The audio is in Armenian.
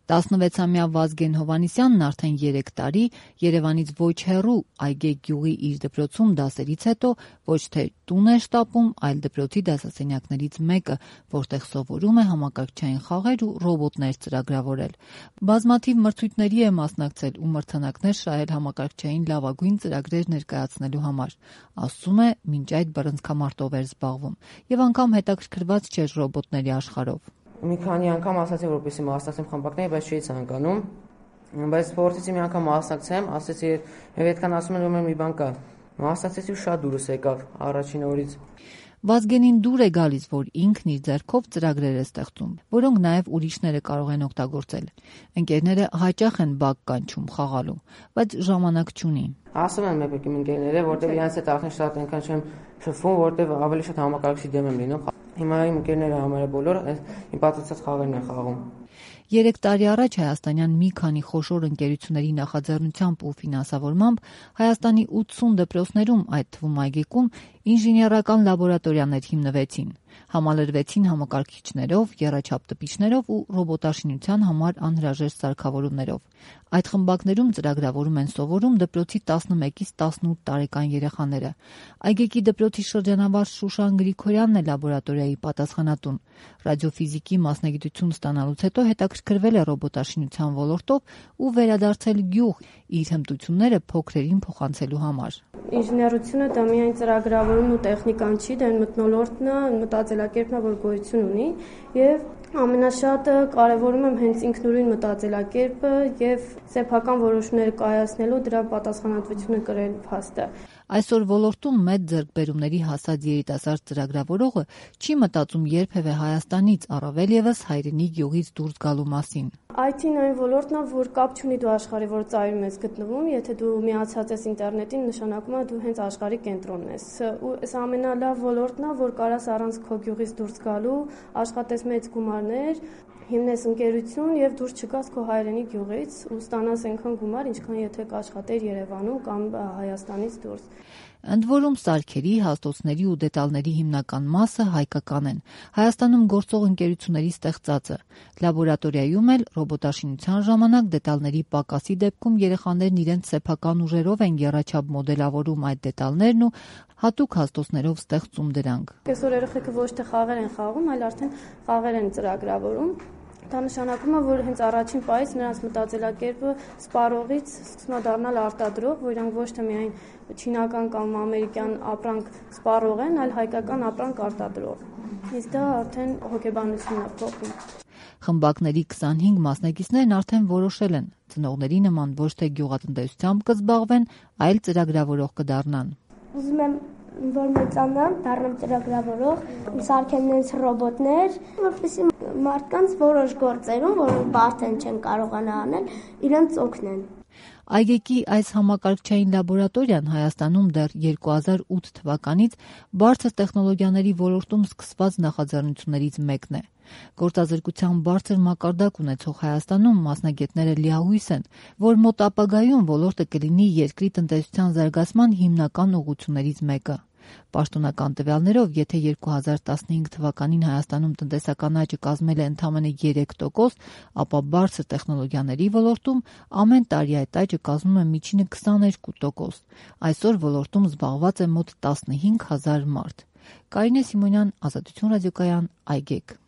16-ամյա Վազգեն Հովհաննիսյանն արդեն 3 տարի Երևանից ոչ հեռու Այգեգ գյուղի իր դպրոցում դասերից հետո ոչ թե տուն է շտապում, այլ դպրոցի դասասենյակներից մեկը, որտեղ սովորում է համակարգչային խաղեր ու ռոբոտներ ծրագրավորել։ Բազմաթիվ մրցույթների է մասնակցել ու մրցանակներ շահել համակարգչային լավագույն ծրագրեր ներկայացնելու համար։ Ասում է, մինչ այդ բռնցքամարտով էր զբաղվում եւ անգամ հետաքրքրված չէր ռոբոտների աշխարհով։ Մի քանի անգամ ասացի, որպեսզի մասնակցեմ խմբակների, բայց չէի ցանկանում։ Բայց փորձեցի մի անգամ մասնակցեմ, ասեցի, եւ այդքան ասում են, որ մի բան կա։ Մասնակցեցի ու շատ դուրս եկավ առաջին օրից։ Վազգենին դուր է գալիս, որ ինքն իր ձեռքով ծրագրեր է ստեղծում, որոնք նաև ուրիշները կարող են օգտագործել։ Ընկերները հաճախ են բակ կանչում խաղալու, բայց ժամանակ չունի։ Ասում են մեկ իմ ընկերները, որտեղ իրանց հետ արդեն շատ այնքան չեմ շփվում, որտեղ ավելի շատ համակարգչի դեմ եմ լինում։ Հիմա իմ ընկերները համարը բոլորը իմ պատրաստած խաղերն են խաղում։ 3 տարի առաջ հայաստանյան մի քանի խոշոր ընկերությունների նախաձեռնությամբ ու ֆինանսավորմամբ Հայաստանի 80 դպրոցներում, այդ թվում Այգեկում, ինժեներական լաբորատորիաներ հիմնվեցին, համալրվեցին համակարգիչներով, եռաչափ տպիչներով ու ռոբոտաշինության համար անհրաժեշտ սարքավորումներով։ Այդ խմբակներում ծրագրավորում են սովորում դպրոցի 11-ից 18 տարեկան երեխաները։ Այգեկի դպրոցի շրջանավար Շուշան Գրիգորյանն է լաբորատորիայի պատասխանատուն։ Ռադիոֆիզիկի մասնագիտություն ստանալուց հետո հետաքրքրվել է ռոբոտաշինության ոլորտով ու վերադարձել գյուղ իր հմտությունները փոքրերին փոխանցելու համար։ Ինժեներությունը դա միայն ծրագրավորումն ու տեխնիկան չի, դա մթնոլորտն է, մտածելակերպն է, որ գոյություն ունի եւ ամենաշատը կարևորում եմ հենց ինքնուրույն մտածելակերպը եւ սեփական որոշումներ կայացնելու դրա պատասխանատվությունը կրել փաստը։ Այսօր ոլորտում մեծ ձեռքբերումների հասած երիտասարդ ծրագրավորողը չի մտածում երբևէ Հայաստանից, առավել ևս հայրենի գյուղից դուրս գալու մասին։ IT-ն այն ոլորտն է, որ կապ չունի դու աշխարհի որ ծայրում ես գտնվում, եթե դու միացած ես ինտերնետին, նշանակում է դու հենց աշխարհի կենտրոնն ես։ Ու այս ամենալավ ոլորտն է, որ կարաս առանց քո գյուղից դուրս գալու, աշխատես մեծ գումարներ, հիմնես ընկերություն եւ դուրս չգաս քո հայրենի գյուղից ու ստանաս այնքան գումար, ինչքան եթե կաշխատեր Երևանում կամ Հայաստանից դուրս։ Ընդ որում սարքերի, հաստոցների ու դետալների հիմնական մասը հայկական են, Հայաստանում գործող ընկերությունների ստեղծածը։ Լաբորատորիայում էլ ռոբոտաշինության ժամանակ դետալների պակասի դեպքում երեխաներն իրենց սեփական ուժերով են եռաչափ մոդելավորում այդ դետալներն ու հատուկ հաստոցներով ստեղծում դրանք։ Այսօր երեխեքը ոչ թե խաղեր են խաղում, այլ արդեն խաղեր են ծրագրավորում։ Դա նշանակում է, որ հենց առաջին պահից նրանց մտածելակերպը սպառողից սկսում է դառնալ արտադրող, որ իրանք ոչ թե միայն չինական կամ ամերիկյան ապրանք սպառող են, այլ հայկական ապրանք արտադրող։ Իսկ դա արդեն հոգեբանությունն է փոխում։ Խմբակների 25 մասնակիցներն արդեն որոշել են, ծնողների նման ոչ թե գյուղատնտեսությամբ կզբաղվեն, այլ ծրագրավորող կդառնան։ Ուզում եմ որ մեծանամ, դառնամ ծրագրավորող, սարքեմ նենց ռոբոտներ, որպեսզի մարդկանց որոշ գործերում, որ բարդ չեն կարողանա անել, իրենց օգնեն։ Այգեկի այս համակարգչային լաբորատորիան Հայաստանում դեռ 2008 թվականից բարձր տեխնոլոգիաների ոլորտում սկսված նախաձեռնություններից մեկն է։ Գործազրկության բարձր մակարդակ ունեցող Հայաստանում մասնագետները լիահույս են, որ մոտ ապագայում ոլորտը կլինի երկրի տնտեսության զարգացման հիմնական ուղղություններից մեկը։ Պաշտոնական տվյալներով, եթե 2015 թվականին Հայաստանում տնտեսական աճը կազմել է ընդամենը 3%, ապա բարձր տեխնոլոգիաների ոլորտում ամեն տարի այդ աճը կազմում է միջինը 22%։ Այսօր ոլորտում զբաղված է մոտ 15,000 մարդ։ Կարինե Սիմոնյան, Ազատություն ռադիոկայան, Այգեգ։